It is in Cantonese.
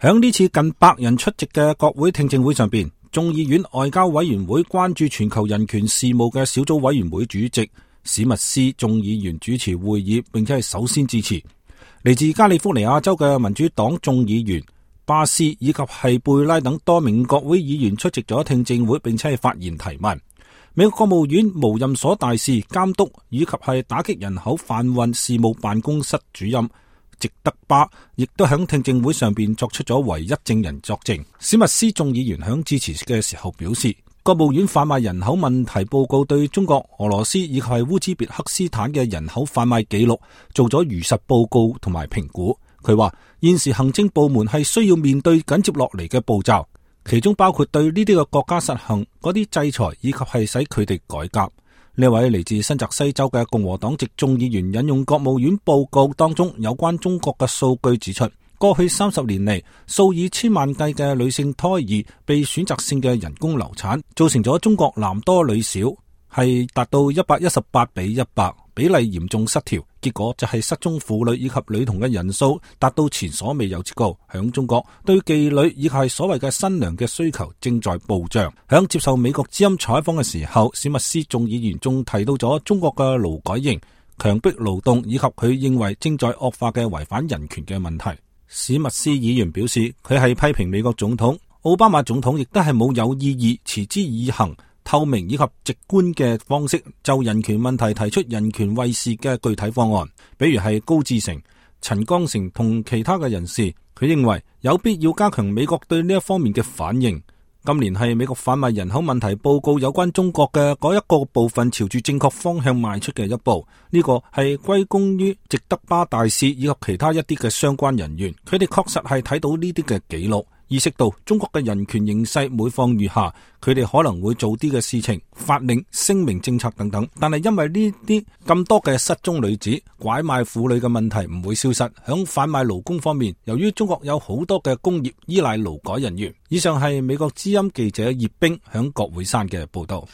響呢次近100人出席嘅國會聽證會上邊，眾議院外交委員會關注全球人權事務嘅小組委員會主席史密斯眾議員主持會議，並且係首先致辭。嚟自加利福尼亞州嘅民主黨眾議員巴斯以及係貝拉等多名國會議員出席咗聽證會，並且係發言提問。美國國務院無任所大事監督以及係打擊人口販運事務辦公室主任席德巴亦都響聽證會上邊作出咗唯一證人作證。史密斯眾議員響致辭嘅時候表示，國務院販賣人口問題報告對中國、俄羅斯以及係烏茲別克斯坦嘅人口販賣記錄做咗如實報告同埋評估。佢話現時行政部門係需要面對緊接落嚟嘅步驟，其中包括對呢啲嘅國家實行嗰啲制裁，以及係使佢哋改革。呢位嚟自新澤西州嘅共和黨籍眾議員引用國務院報告當中有關中國嘅數據指出，過去30年嚟，數以千萬計嘅女性胎兒被選擇性嘅人工流產，造成咗中國男多女少，係達到118:100，比例嚴重失調。結果就係失蹤婦女以及女童嘅人數達到前所未有之高。響中國，對妓女以及係所謂嘅新娘嘅需求正在暴漲。響接受美國之音採訪嘅時候，史密斯眾議員仲提到咗中國嘅勞改營、強迫勞動以及佢認為正在惡化嘅違反人權嘅問題。史密斯議員表示，佢係批評美國總統奧巴馬總統亦都係冇有意義、持之以恆、透明以及直觀嘅方式就人權問題提出人權衛士嘅具體方案，比如係高志成、陳光誠同其他嘅人士。佢認為有必要加強美國對呢一方面嘅反應。今年係美國販賣人口問題報告有關中國嘅嗰一個部分朝住正確方向邁出嘅一步，呢個係歸功於席德巴大使以及其他一啲嘅相關人員。佢哋確實係睇到呢啲嘅記錄，意識到中國嘅人權形勢每況愈下，佢哋可能會做啲嘅事情、法令、聲明、政策等等。但係因為呢啲咁多嘅失蹤女子、拐賣婦女嘅問題唔會消失。響販賣勞工方面，由於中國有好多嘅工業依賴勞改人員。以上係美國之音記者葉冰響國會山嘅報道。